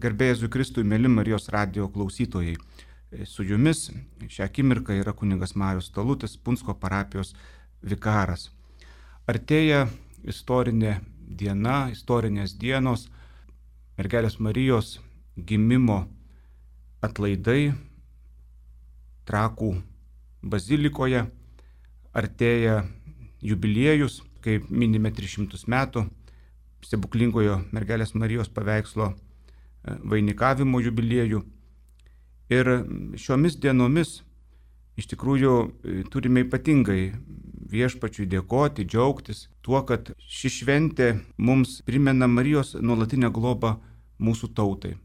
Garbė Jėzui Kristui, mėly Marijos radijo klausytojai. Su jumis šią akimirką yra kunigas Marius Talutis, Punsko parapijos vikaras. Artėja istorinė diena, istorinės dienos, mergelės Marijos gimimo atlaidai Trakų bazilikoje. Artėja jubiliejus, kai minime 300 metų stebuklingojo mergelės Marijos paveikslo vainikavimo jubiliejų. Ir šiomis dienomis iš tikrųjų turime ypatingai Viešpačiui dėkoti, džiaugtis tuo, kad ši šventė mums primena Marijos nuolatinę globą mūsų tautai.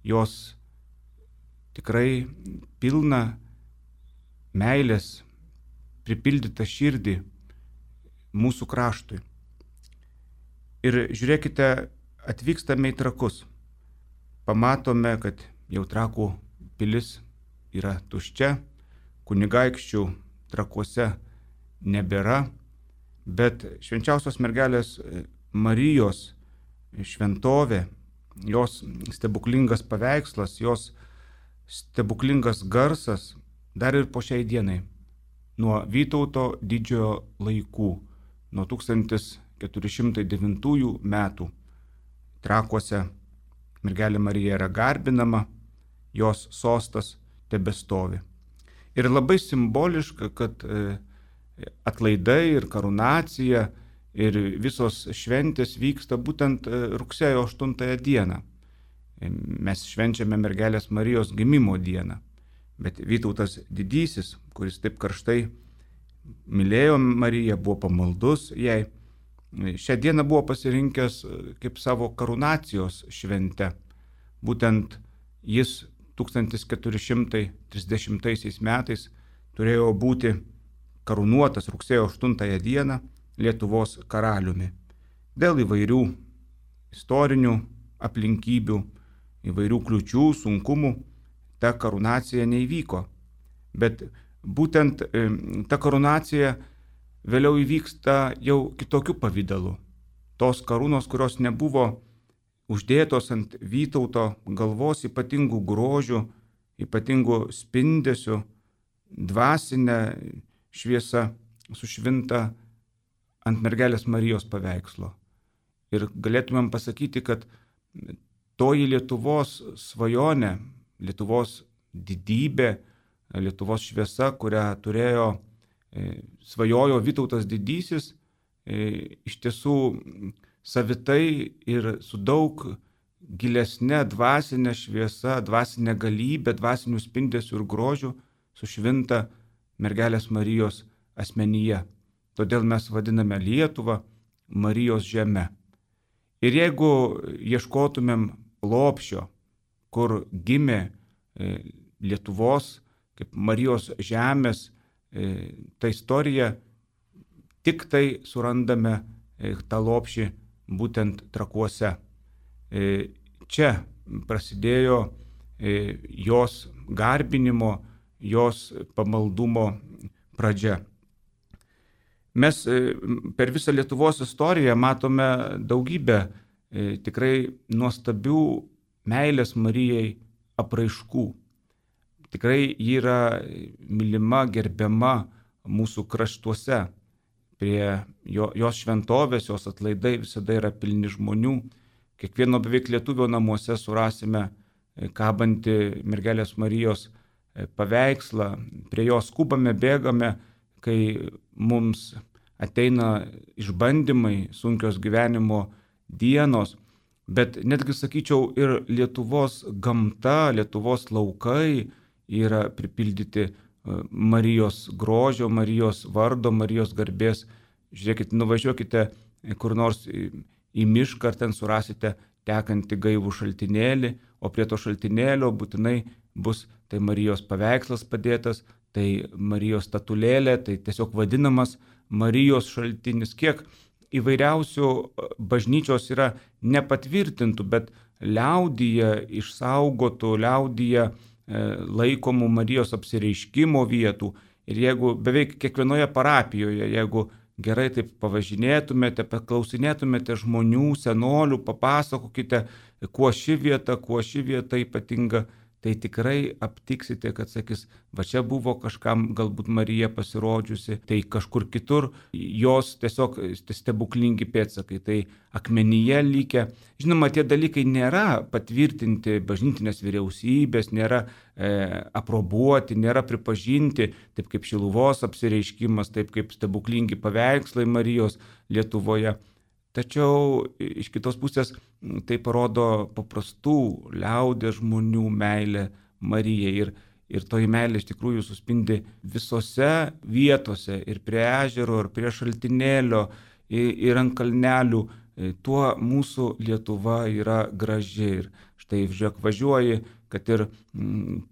Jos tikrai pilna meilės, pripildyta širdį mūsų kraštui. Ir žiūrėkite, atvykstame į Trakus. Pamatome, kad jau Trakų pilis yra tuščia, kunigaikščių Trakuose nebėra, bet švenčiausios mergelės Marijos šventovė, jos stebuklingas paveikslas, jos stebuklingas garsas dar ir po šiai dienai, nuo Vytauto didžiojo laikų, nuo 1409 metų Trakuose mergelė Marija yra garbinama, jos sostas tebestovi. Ir labai simboliška, kad atlaidai ir karūnacija ir visos šventės vyksta būtent rugsėjo 8 dieną. Mes švenčiame mergelės Marijos gimimo dieną. Bet Vytautas didysis, kuris taip karštai mylėjo Mariją, buvo pamaldus jai, šią dieną buvo pasirinkęs kaip savo karūnacijos šventę. Būtent jis 1430 metais turėjo būti karūnuotas rugsėjo 8 dieną Lietuvos karaliumi. Dėl įvairių istorinių aplinkybių, įvairių kliūčių, sunkumų ta karūnacija neįvyko. Bet būtent ta karūnacija vėliau įvyksta jau kitokiu pavidalu. Tos karūnos, kurios nebuvo uždėtos ant Vytauto galvos ypatingų grožių, ypatingų spindesių, dvasinė šviesa sušvinta ant mergelės Marijos paveikslo. Ir galėtumėm pasakyti, kad toji Lietuvos svajonė, Lietuvos didybė, Lietuvos šviesa, kurią svajojo Vytautas didysis, iš tiesų savitai ir su daug gilesnė dvasinė šviesa, dvasinė galybė, dvasinių spindesių ir grožių sušvinta mergelės Marijos asmenyje. Todėl mes vadiname Lietuvą Marijos žeme. Ir jeigu ieškotumėm lopšio, kur gimė Lietuvos kaip Marijos žemės ta istorija, tik tai surandame tą lopšį būtent Trakuose. Čia prasidėjo jos garbinimo, jos pamaldumo pradžia. Mes per visą Lietuvos istoriją matome daugybę tikrai nuostabių meilės Marijai apraiškų. Tikrai ji yra mylima, gerbiama mūsų kraštuose. Prie jos šventovės, jos atlaidai visada yra pilni žmonių. Kiekvieno beveik lietuvio namuose surasime kabantį mergelės Marijos paveikslą. Prie jos skubame, bėgame, kai mums ateina išbandymai, sunkios gyvenimo dienos. Bet netgi sakyčiau, ir Lietuvos gamta, Lietuvos laukai yra pripildyti Marijos grožio, Marijos vardo, Marijos garbės. Žiūrėkite, nuvažiuokite kur nors į mišką, ar ten surasite tekantį gaivų šaltinėlį, o prie to šaltinėlio būtinai bus tai Marijos paveikslas padėtas, tai Marijos statulėlė, tai tiesiog vadinamas Marijos šaltinis. Kiek įvairiausių bažnyčios yra nepatvirtintų, bet liaudyje išsaugotų, liaudyje laikomų Marijos apsireiškimo vietų. Ir jeigu beveik kiekvienoje parapijoje, jeigu gerai taip pavažinėtumėte, paklausinėtumėte žmonių, senolių, papasakokite, kuo ši vieta ypatinga, tai tikrai aptiksite, kad sakys, va čia buvo kažkam galbūt Marija pasirodžiusi, tai kažkur kitur jos tiesiog stebuklingi pėdsakai, tai akmenyje likę. Žinoma, tie dalykai nėra patvirtinti bažnytinės vyriausybės, nėra aprobuoti, nėra pripažinti, taip kaip Šiluvos apsireiškimas, taip kaip stebuklingi paveikslai Marijos Lietuvoje. Tačiau iš kitos pusės tai parodo paprastų liaudės žmonių meilę Marijai. Ir toji meilė iš tikrųjų suspindi visose vietose, ir prie ežero, ir prie šaltinėlio, ir ant kalnelių. Tuo mūsų Lietuva yra graži. Ir štai, žiūrėk, važiuoji, kad ir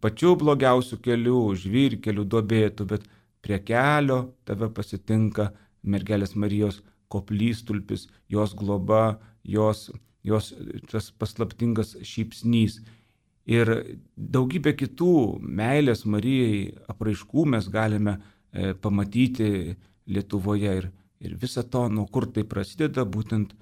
pačiu blogiausiu keliu, žvyrkeliu, duobėtų, bet prie kelio tave pasitinka mergelės Marijos koplytstulpis, jos globa, jos tas paslaptingas šypsnys. Ir daugybė kitų meilės Marijai apraiškų mes galime pamatyti Lietuvoje. Ir visa to, nuo kur tai prasideda, būtent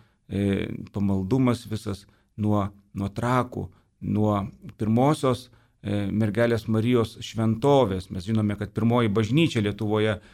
pamaldumas visas nuo Trakų, nuo pirmosios mergelės Marijos šventovės. Mes žinome, kad pirmoji bažnyčia Lietuvoje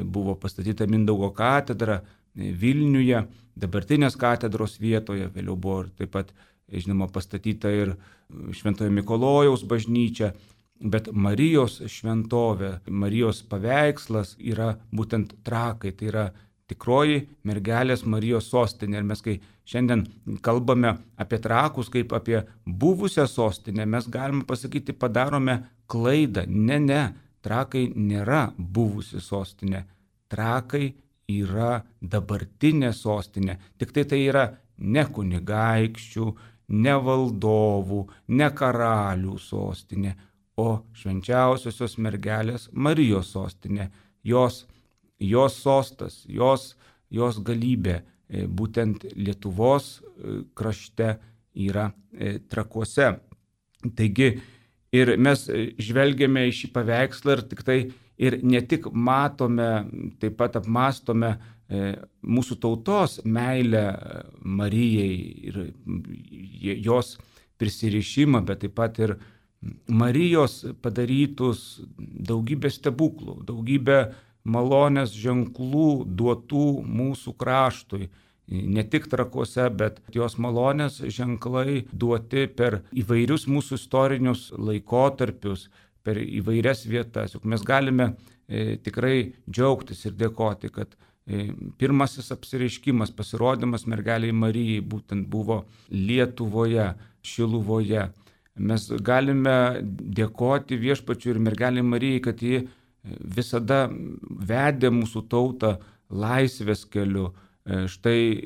buvo pastatyta Mindaugo katedra Vilniuje, dabartinės katedros vietoje, vėliau buvo taip pat, žinoma, pastatyta ir Šventojo Mikalojaus bažnyčia, bet Marijos šventovė, Marijos paveikslas yra būtent Trakai, tai yra tikroji mergelės Marijos sostinė. Ir mes, kai šiandien kalbame apie Trakus kaip apie buvusią sostinę, mes galime pasakyti, padarome klaidą. Ne, Trakai nėra buvusi sostinė. Trakai yra dabartinė sostinė. Tik tai yra ne kunigaikščių, ne valdovų, ne karalių sostinė, o švenčiausiosios mergelės Marijos sostinė. Jos sostas, jos galybė būtent Lietuvos krašte yra Trakuose. Taigi ir mes žvelgiame į šį paveikslą ir tik tai ir ne tik matome, taip pat apmastome mūsų tautos meilę Marijai ir jos prisirišimą, bet taip pat ir Marijos padarytus daugybę stebuklų, daugybę malonės ženklų duotų mūsų kraštui. Ne tik Trakuose, bet jos malonės ženklai duoti per įvairius mūsų istorinius laikotarpius, per įvairias vietas. Juk mes galime tikrai džiaugtis ir dėkoti, kad pirmasis apsireiškimas, pasirodymas mergeliai Marijai būtent buvo Lietuvoje, Šiluvoje. Mes galime dėkoti Viešpačiui ir mergeliai Marijai, kad ji visada vedė mūsų tautą laisvės keliu. Štai,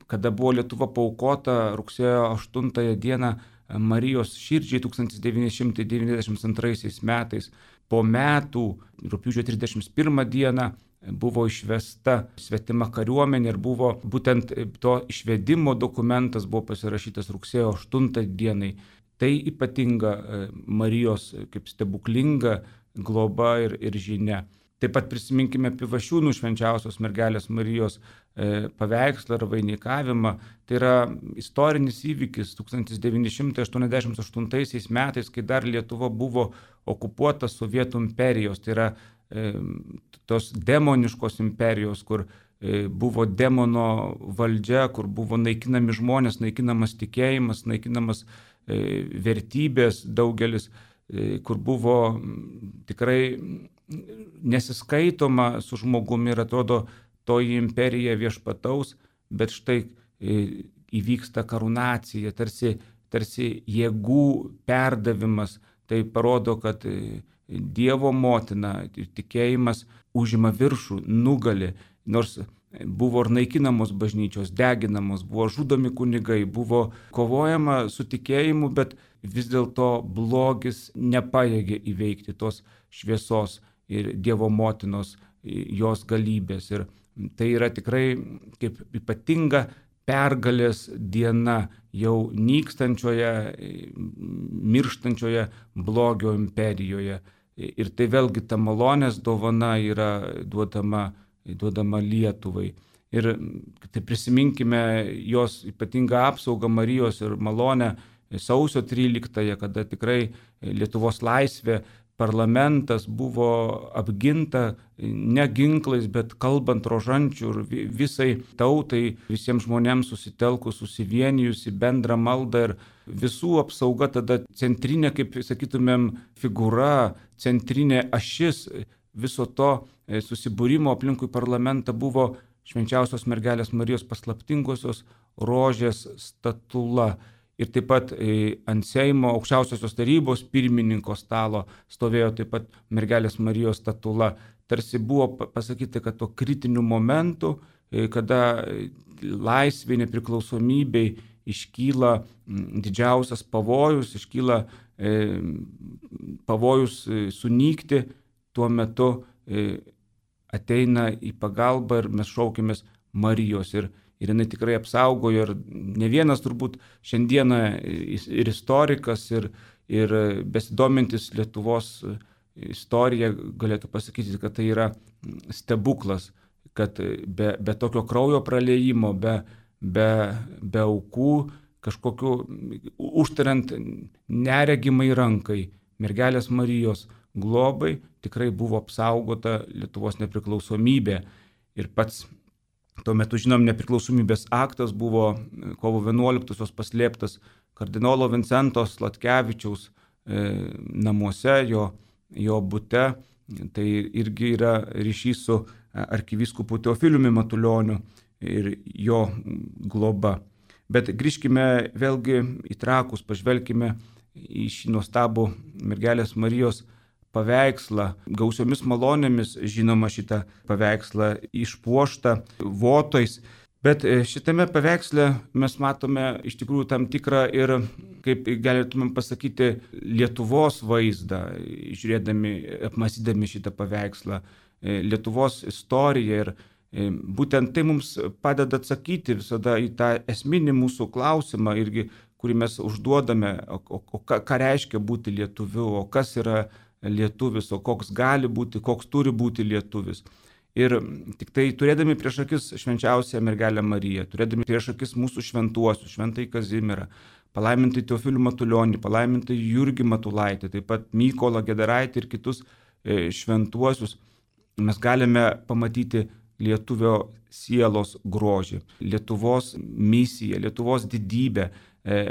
kada buvo Lietuva paaukota rugsėjo 8 dieną Marijos širdžiai 1992 metais, po metų, rugpjūčio 31 dieną, buvo išvesta svetima kariuomenė ir buvo būtent to išvedimo dokumentas buvo pasirašytas rugsėjo 8 dienai. Tai ypatinga Marijos kaip stebuklinga globa ir žinia. Taip pat prisiminkime Pivašiūnų švenčiausios mergelės Marijos paveikslą ar vainikavimą. Tai yra istorinis įvykis 1988 metais, kai dar Lietuva buvo okupuota Sovietų imperijos. Tai yra tos demoniškos imperijos, kur buvo demono valdžia, kur buvo naikinami žmonės, naikinamas tikėjimas, naikinamas vertybės daugelis, kur buvo tikrai nesiskaitoma su žmogumi ir atrodo toji imperija viešpataus, bet štai įvyksta karūnacija, tarsi jėgų perdavimas. Tai parodo, kad Dievo motina ir tikėjimas užima viršų, nugali, nors buvo ir naikinamos bažnyčios, deginamos, buvo žudomi kunigai, buvo kovojama su tikėjimu, bet vis dėlto blogis nepajėgė įveikti tos šviesos ir Dievo motinos, jos galybės. Ir tai yra tikrai kaip ypatinga pergalės diena jau nykstančioje, mirštančioje blogio imperijoje. Ir tai vėlgi ta malonės dovana yra duodama duodama Lietuvai. Ir tai prisiminkime jos ypatingą apsaugą Marijos ir malonę sausio 13-ąją, kada tikrai Lietuvos laisvė, parlamentas buvo apginta ne ginklais, bet kalbant rožančių ir visai tautai, visiems žmonėms susitelkus, susivienijus į bendrą maldą ir visų apsauga tada centrinė, kaip sakytumėm, figūra, centrinė ašis viso to susibūrimo aplinkui parlamentą buvo Švenčiausios mergelės Marijos paslaptingosios rožės statula. Ir taip pat ant Seimo aukščiausiosios tarybos pirmininko stalo stovėjo taip pat mergelės Marijos statula. Tarsi buvo pasakyti, kad to kritiniu momentu, kada laisvė, nepriklausomybei iškyla didžiausias pavojus, iškyla pavojus sunykti, tuo metu ateina į pagalbą ir mes šaukimės Marijos. Ir jinai tikrai apsaugojo ir ne vienas turbūt šiandieną ir istorikas, ir besidomintis Lietuvos istorija galėtų pasakyti, kad tai yra stebuklas, kad be tokio kraujo praliejimo, be aukų, kažkokiu užtariant neregimai rankai mergelės Marijos globai tikrai buvo apsaugota Lietuvos nepriklausomybė. Ir pats tuo metu, žinom, nepriklausomybės aktas buvo kovo 11-osios paslėptas kardinolo Vincento Sladkevičiaus namuose, jo bute. Tai irgi yra ryšys su arkivyskupu Teofiliumi Matulioniu ir jo globa. Bet grįžkime vėlgi į Trakus, pažvelkime į šį nuostabų mergelės Marijos paveikslą, gausiomis malonėmis, žinoma, šitą paveikslą išpuoštą votais. Bet šitame paveiksle mes matome iš tikrųjų tam tikrą ir, kaip galėtumėm pasakyti, Lietuvos vaizdą, žiūrėdami, apmąstydami šitą paveikslą, Lietuvos istoriją. Ir būtent tai mums padeda atsakyti visada į tą esminį mūsų klausimą, irgi, kurį mes užduodame, o ką reiškia būti lietuviu, o kas yra lietuvis, o koks gali būti, koks turi būti lietuvis. Ir tik tai turėdami prieš akis švenčiausią mergelę Mariją, turėdami prieš akis mūsų šventuosius, šventąjį Kazimierą, palaimintąjį Teofilių Matulionį, palaimintąjį Jurgį Matulaitį, taip pat Mykolą Gedaraitį ir kitus šventuosius, mes galime pamatyti lietuvio sielos grožį, Lietuvos misiją, Lietuvos didybę.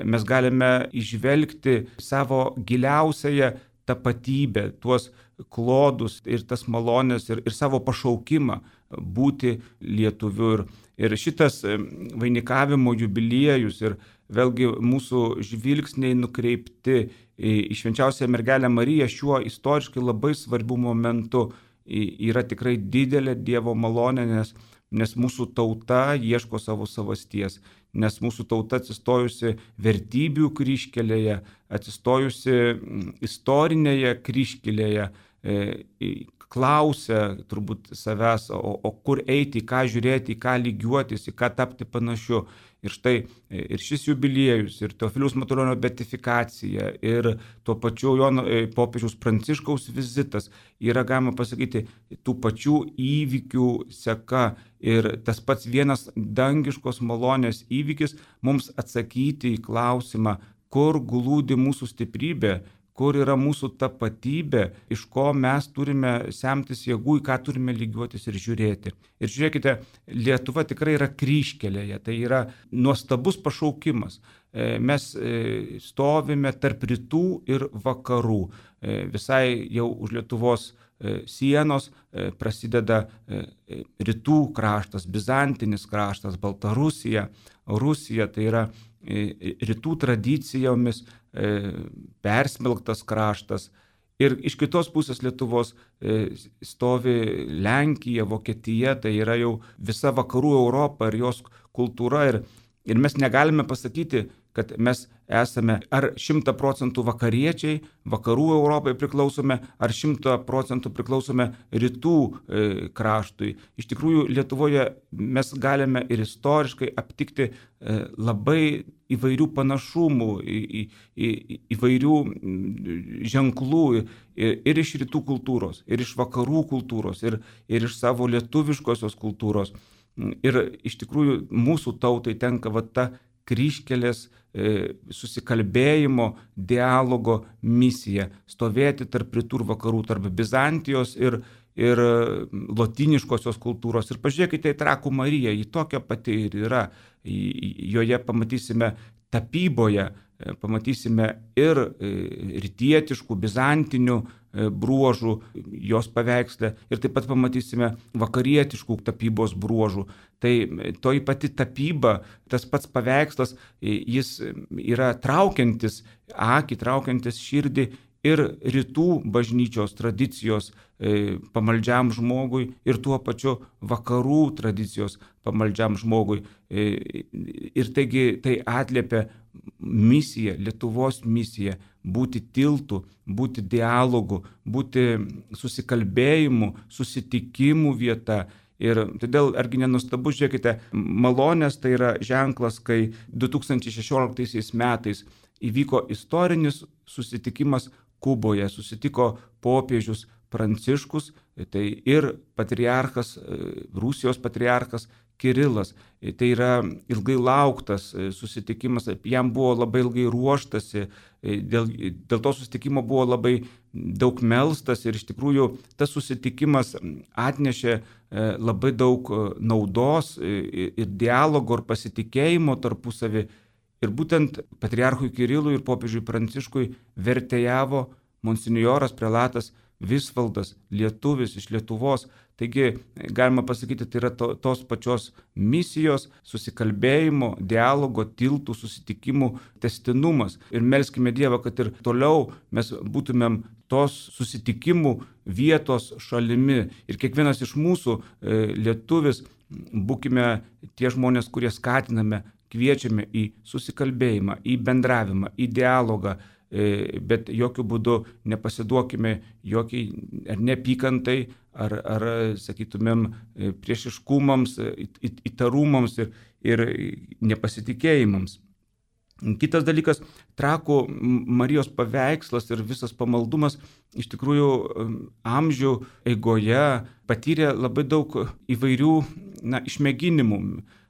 Mes galime įžvelgti savo giliausiąją tapatybę, tuos klodus ir tas malonės ir savo pašaukimą būti lietuviu. Ir šitas vainikavimo jubiliejus ir vėlgi mūsų žvilgsniai nukreipti į švenčiausią mergelę Mariją šiuo istoriškai labai svarbiu momentu yra tikrai didelė Dievo malonė, nes mūsų tauta ieško savo savasties, nes mūsų tauta atsistojusi vertybių kryžkelėje, atsistojusi istorinėje kryžkelėje, klausia turbūt savęs, o kur eiti, į ką žiūrėti, į ką lygiuotis, į ką tapti panašiu. Ir štai ir šis jubiliejus, ir Teofiliaus Matulionio beatifikacija, ir tuo pačiu popiežiaus Pranciškaus vizitas yra, galima pasakyti, tų pačių įvykių seka. Ir tas pats vienas dangiškos malonės įvykis mums atsakyti į klausimą, kur glūdi mūsų stiprybė, kur yra mūsų tapatybė, iš ko mes turime semtis jėgų, į ką turime lygiuotis ir žiūrėti. Ir žiūrėkite, Lietuva tikrai yra kryžkelėje, tai yra nuostabus pašaukimas. Mes stovime tarp rytų ir vakarų. Visai jau už Lietuvos sienos prasideda rytų kraštas, bizantinis kraštas, Baltarusija, Rusija, tai yra rytų tradicijomis persmelktas kraštas. Ir iš kitos pusės Lietuvos stovi Lenkija, Vokietija, tai yra jau visa vakarų Europa ir jos kultūra. Ir mes negalime pasakyti, kad mes esame ar 100% vakariečiai, vakarų Europai priklausome, ar 100% priklausome rytų kraštui. Iš tikrųjų, Lietuvoje mes galime ir istoriškai aptikti labai įvairių panašumų, įvairių ženklų ir iš rytų kultūros, ir iš vakarų kultūros, ir iš savo lietuviškosios kultūros. Ir iš tikrųjų mūsų tautai tenka ta kryžkelės susikalbėjimo, dialogo misija - stovėti tarp rytų ir vakarų, tarp Bizantijos ir lotyniškosios kultūros. Ir pažiūrėkite į Trakų Mariją, ji tokia pati ir yra. Joje pamatysime tapyboje, pamatysime ir rytietiškų, bizantinių bruožų jos paveiksle ir taip pat pamatysime vakarietiškų tapybos bruožų. Tai toji pati tapyba, tas pats paveikslas, jis yra traukiantis akį, traukiantis širdį ir rytų bažnyčios tradicijos pamaldžiam žmogui ir tuo pačiu vakarų tradicijos pamaldžiam žmogui. Ir taigi tai atliepia misiją, Lietuvos misiją - būti tiltu, būti dialogu, būti susikalbėjimu, susitikimų vieta. Ir todėl argi nenustabu, žiūrėkite, malonės tai yra ženklas, kai 2016 metais įvyko istorinis susitikimas Kuboje, susitiko popiežius Pranciškus, tai ir patriarchas, Rusijos patriarchas Kirilas. Tai yra ilgai lauktas susitikimas, jam buvo labai ilgai ruoštasi, dėl to susitikimo buvo labai daug melstas ir iš tikrųjų tas susitikimas atnešė labai daug naudos ir dialogo ir pasitikėjimo tarpusavį. Ir būtent patriarchui Kirilui ir popiežiui Pranciškui vertėjavo monsinjoras prelatas Visvaldas, lietuvis iš Lietuvos. Taigi, galima pasakyti, tai yra tos pačios misijos, susikalbėjimo, dialogo, tiltų, susitikimų tęstinumas. Ir melskime Dievą, kad ir toliau mes būtumėm tos susitikimų vietos šalimi. Ir kiekvienas iš mūsų lietuvis būkime tie žmonės, kurie skatiname, kviečiame į susikalbėjimą, į bendravimą, į dialogą, bet jokių būdų nepasiduokime jokiai ar neapykantai, ar sakytumėm, priešiškumams, įtarumams ir nepasitikėjimams. Kitas dalykas, Trakų Marijos paveikslas ir visas pamaldumas iš tikrųjų amžių eigoje patyrė labai daug įvairių išmėginimų.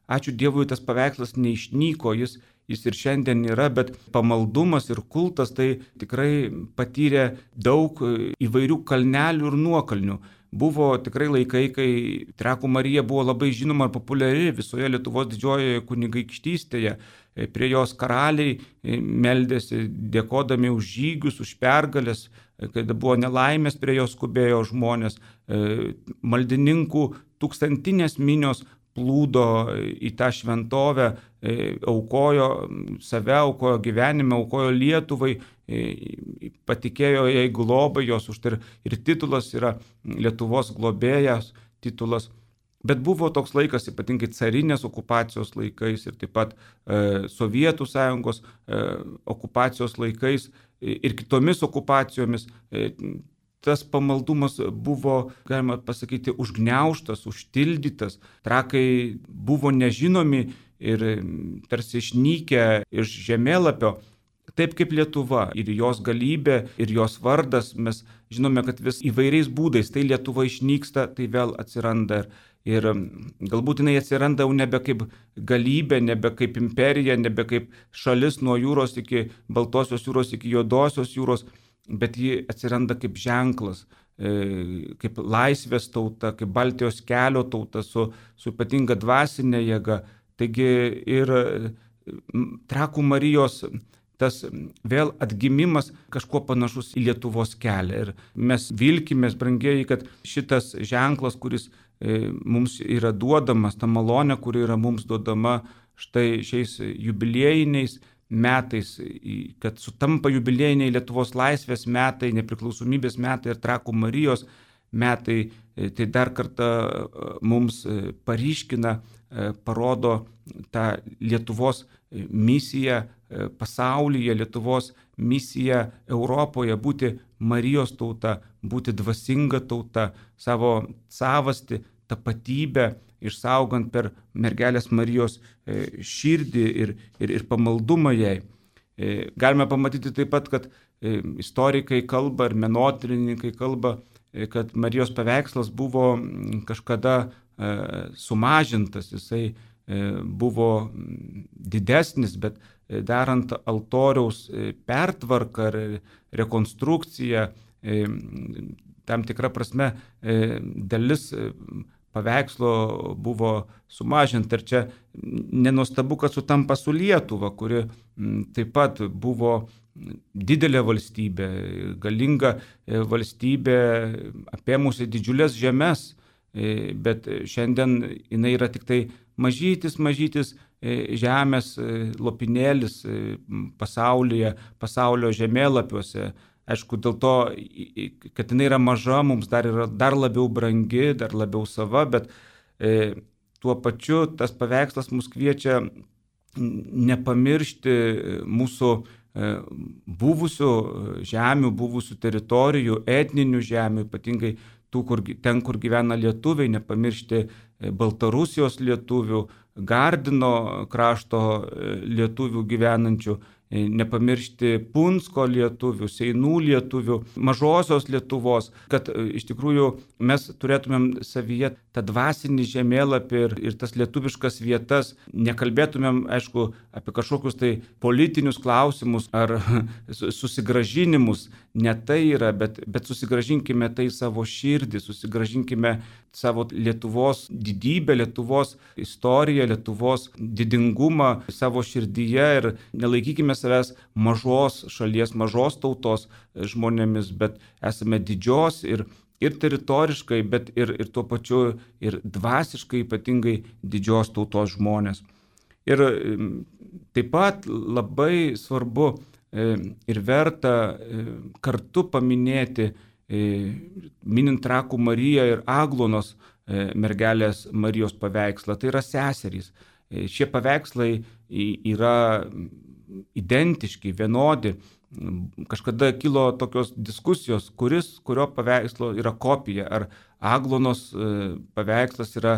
Ačiū Dievui, tas paveikslas neišnyko, jis ir šiandien yra, bet pamaldumas ir kultas tai tikrai patyrė daug įvairių kalnelių ir nuokalnių. Buvo tikrai laikai, kai Trakų Marija buvo labai žinoma ir populiari visoje Lietuvos didžiojoje kunigaikštystėje. Prie jos karaliai meldėsi, dėkodami už žygius, už pergalės, kai buvo nelaimės, prie jos skubėjo žmonės. Maldininkų tūkstantinės minios plūdo į tą šventovę, aukojo save, aukojo gyvenimą, aukojo Lietuvai, patikėjo jai globai, jos už tai ir titulas yra Lietuvos globėjas titulas. Bet buvo toks laikas, ypatingai carinės okupacijos laikais ir taip pat Sovietų sąjungos okupacijos laikais ir kitomis okupacijomis. Tas pamaldumas buvo, galima pasakyti, užgniaužtas, užtildytas. Trakai buvo nežinomi ir tarsi išnykę iš žemėlapio, taip kaip Lietuva ir jos galybė ir jos vardas. Mes žinome, kad vis įvairiais būdais tai Lietuva išnyksta, tai vėl atsiranda. Ir galbūt jinai atsiranda jau nebe kaip galybė, nebe kaip imperija, nebe kaip šalis nuo jūros iki Baltosios jūros, iki Juodosios jūros, bet ji atsiranda kaip ženklas, kaip laisvės tauta, kaip Baltijos kelio tauta su ypatinga dvasinė jėga. Taigi ir Trakų Marijos tas vėl atgimimas kažkuo panašus į Lietuvos kelią. Ir mes vilkimės, brangieji, kad šitas ženklas, kuris mums yra duodamas, ta malonė, kuri yra mums duodama štai šiais jubiliejiniais metais, kad sutampa jubiliejiniai Lietuvos laisvės metai, nepriklausomybės metai ir Trakų Marijos metai, tai dar kartą mums paryškina parodo tą Lietuvos misiją pasaulyje, Lietuvos misiją Europoje, būti Marijos tauta, būti dvasinga tauta, savo savastį, tapatybę išsaugant per mergelės Marijos širdį ir pamaldumą jai. Galime pamatyti taip pat, kad istorikai kalba ir menotyrininkai kalba, kad Marijos paveikslas buvo kažkada sumažintas, jisai buvo didesnis, bet darant altoriaus pertvarką ar rekonstrukciją, tam tikra prasme dalis paveikslo buvo sumažinta. Ir čia nenuostabu, kad sutampa su Lietuva, kuri taip pat buvo didelė valstybė, galinga valstybė, apėmusi didžiulės žemes, bet šiandien jinai yra tik tai mažytis žemės lopinėlis pasaulio žemėlapiuose. Aišku, dėl to, kad jinai yra maža, mums yra dar labiau brangi, dar labiau sava, bet tuo pačiu tas paveikslas mus kviečia nepamiršti mūsų buvusių žemių, buvusių teritorijų, etninių žemių, ypatingai ten, kur gyvena lietuviai, nepamiršti Baltarusijos lietuvių, Gardino krašto lietuvių gyvenančių, nepamiršti Punsko lietuvių, Seinų lietuvių, mažosios Lietuvos, kad iš tikrųjų mes turėtumėm savyje tą dvasinį žemėlapį ir tas lietuviškas vietas, nekalbėtumėm, aišku, apie kažkokius tai politinius klausimus ar susigrąžinimus, ne tai yra, bet susigrąžinkime tai savo širdį, susigrąžinkime savo Lietuvos didybę, Lietuvos istoriją, Lietuvos didingumą savo širdyje ir nelaikykime savęs mažos šalies, mažos tautos žmonėmis, bet esame didžios ir teritoriškai, bet ir tuo pačiu ir dvasiškai ypatingai didžios tautos žmonės. Ir taip pat labai svarbu ir verta kartu paminėti, minint Trakų Mariją ir Aglonos mergelės Marijos paveikslą, tai yra seserys. Šie paveikslai yra identiški, vienodi. Kažkada kilo tokios diskusijos, kurio paveikslo yra kopija, ar Aglonos paveikslas yra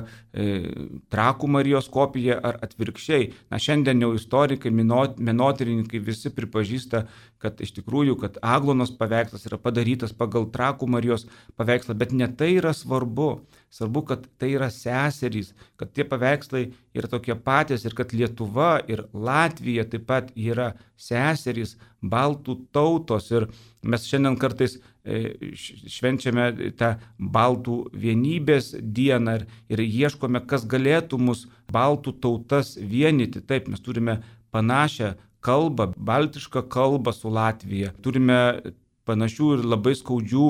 Trakų Marijos kopija ar atvirkščiai. Šiandien jau istorikai, menotyrininkai visi pripažįsta, kad iš tikrųjų, kad Aglonos paveikslas yra padarytas pagal Trakų Marijos paveikslą, bet ne tai yra svarbu. Svarbu, kad tai yra seserys, kad tie paveikslai yra tokie patys ir kad Lietuva ir Latvija taip pat yra seserys, baltų tautos. Ir mes šiandien kartais švenčiame tą baltų vienybės dieną ir ieškome, kas galėtų mus baltų tautas vienyti. Taip, mes turime panašią kalbą, baltišką kalbą su Latvija. Turime panašių ir labai skaudžių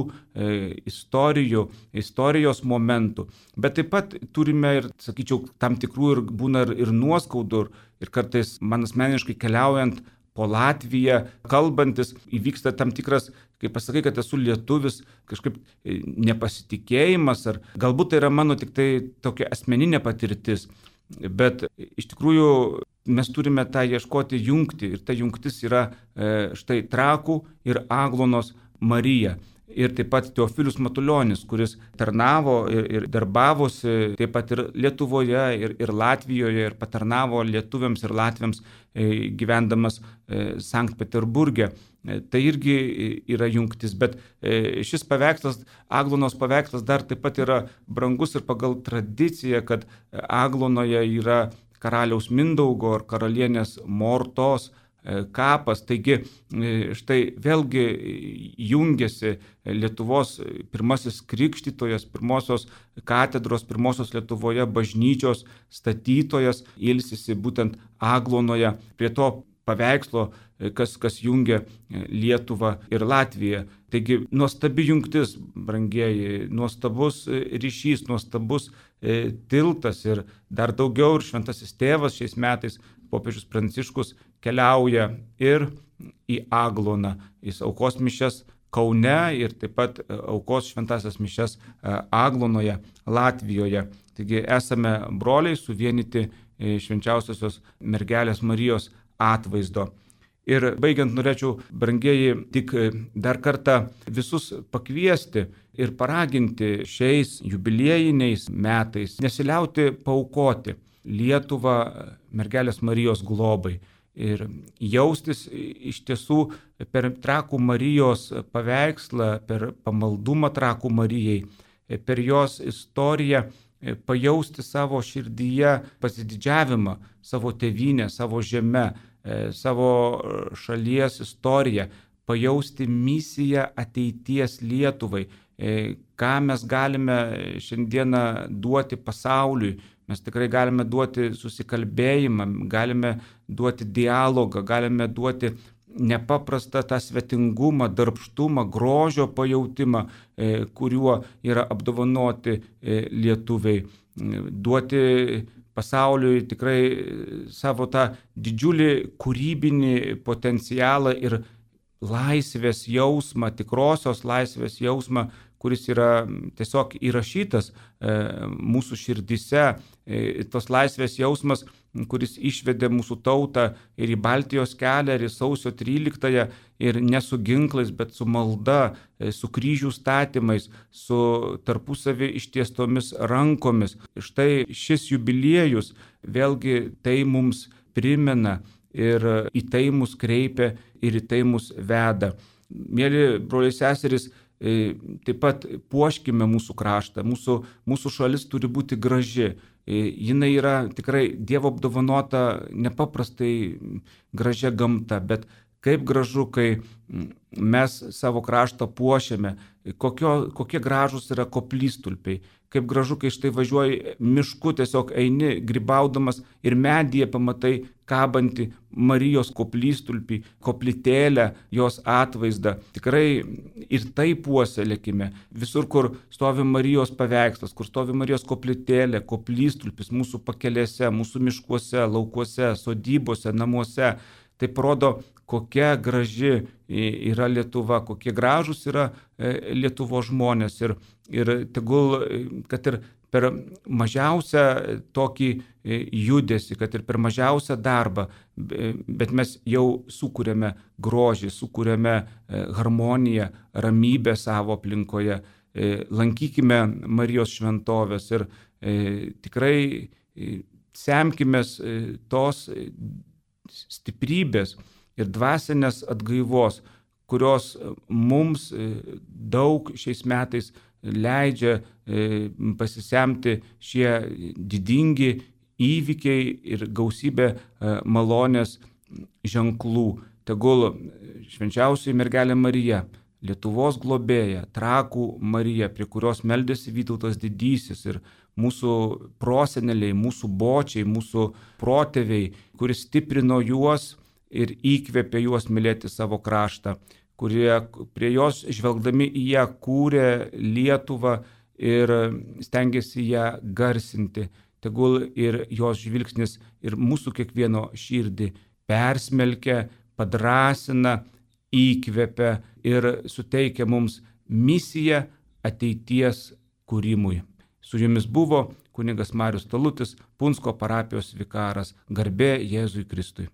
istorijos momentų. Bet taip pat turime ir, sakyčiau, tam tikrų ir būna ir nuoskaudų. Ir kartais man asmeniškai keliaujant po Latviją, kalbantis, įvyksta tam tikras, kai pasakai, kad esu lietuvis, kažkaip nepasitikėjimas, ar galbūt tai yra mano tik tai tokia asmeninė patirtis. Bet iš tikrųjų mes turime tą ieškoti jungti ir ta jungtis yra štai Trakų ir Aglonos Marija. Ir taip pat Teofilius Matulionis, kuris tarnavo ir darbavosi taip pat ir Lietuvoje, ir Latvijoje, ir patarnavo lietuviams ir latviams gyvendamas Sankt Peterburge. Tai irgi yra jungtis, bet šis paveikslas, Aglonos paveikslas dar taip pat yra brangus ir pagal tradiciją, kad Aglonoje yra karaliaus Mindaugo ar karalienės Mortos kapas. Taigi štai vėlgi jungiasi Lietuvos pirmasis krikštytojas, pirmosios katedros, pirmosios Lietuvoje bažnyčios statytojas, ilsisi būtent Aglonoje prie to paveikslo, kas jungia Lietuvą ir Latviją. Taigi nuostabi jungtis, brangieji, nuostabus ryšys, nuostabus tiltas ir dar daugiau. Ir šventasis tėvas šiais metais, popiežius Pranciškus, keliauja ir į Agloną. Jis aukos mišias Kaune ir taip pat aukos šventasias mišias Aglonoje, Latvijoje. Taigi esame broliai suvienyti švenčiausiosios mergelės Marijos atvaizdo. Ir baigiant norėčiau, brangieji, tik dar kartą visus pakviesti ir paraginti šiais jubiliejiniais metais nesiliauti paaukoti Lietuvą mergelės Marijos globai ir jaustis iš tiesų per Trakų Marijos paveikslą, per pamaldumą Trakų Marijai, per jos istoriją pajausti savo širdyje pasididžiavimą savo tėvynę, savo žemę, savo šalies istoriją, pajausti misiją ateities Lietuvai, ką mes galime šiandieną duoti pasauliui. Mes tikrai galime duoti susikalbėjimą, galime duoti dialogą, galime duoti nepaprastą tą svetingumą, darbštumą, grožio pajautimą, kuriuo yra apdovanoti lietuviai. Duoti pasauliui tikrai savo tą didžiulį kūrybinį potencialą ir laisvės jausmą, tikrosios laisvės jausmą, kuris yra tiesiog įrašytas mūsų širdise, tos laisvės jausmas, kuris išvedė mūsų tautą ir į Baltijos kelią, ir į sausio 13-ąją, ir ne su ginklais, bet su malda, su kryžių statymais, su tarpusavį ištiestomis rankomis. Štai šis jubiliejus vėlgi tai mums primena ir į tai mus kreipia ir į tai mus veda. Mėly broliai seserys, taip pat puoškime mūsų kraštą, mūsų šalis turi būti graži, jinai yra tikrai Dievo apdovanota nepaprastai gražia gamta, bet kaip gražu, kai mes savo kraštą puošiame, kokie gražūs yra koplytstulpiai, kaip gražu, kai štai važiuoji mišku, tiesiog eini grybaudamas ir medyje pamatai kabantį Marijos koplytstulpį, koplytėlę, jos atvaizdą. Tikrai ir tai puoselėkime. Visur, kur stovi Marijos paveikslas, kur stovi Marijos koplytėlė, koplytstulpis mūsų pakelėse, mūsų miškuose, laukuose, sodybose, namuose, tai parodo, kokia graži yra Lietuva, kokie gražūs yra Lietuvos žmonės ir tegul, kad ir per mažiausią tokį judesį, kad ir per mažiausią darbą, bet mes jau sukūrėme grožį, sukūrėme harmoniją, ramybę savo aplinkoje, lankykime Marijos šventovės ir tikrai semkimės tos stiprybės ir dvasinės atgaivos, kurios mums daug šiais metais leidžia pasisemti šie didingi įvykiai ir gausybė malonės ženklų. Tegul švenčiausioji mergelė Marija, Lietuvos globėja, Trakų Marija, prie kurios meldėsi Vytautas Didysis ir mūsų proseneliai, mūsų bočiai, mūsų protėviai, kuris stiprino juos ir įkvėpė juos mylėti savo kraštą, kurie prie jos žvelgdami į ją kūrė Lietuvą ir stengiasi ją garsinti. Tegul ir jos žvilgsnis ir mūsų kiekvieno širdį persmelkia, padrasina, įkvėpia ir suteikia mums misiją ateities kūrimui. Su jumis buvo kunigas Marius Talutis, Punsko parapijos vikaras. Garbė Jėzui Kristui.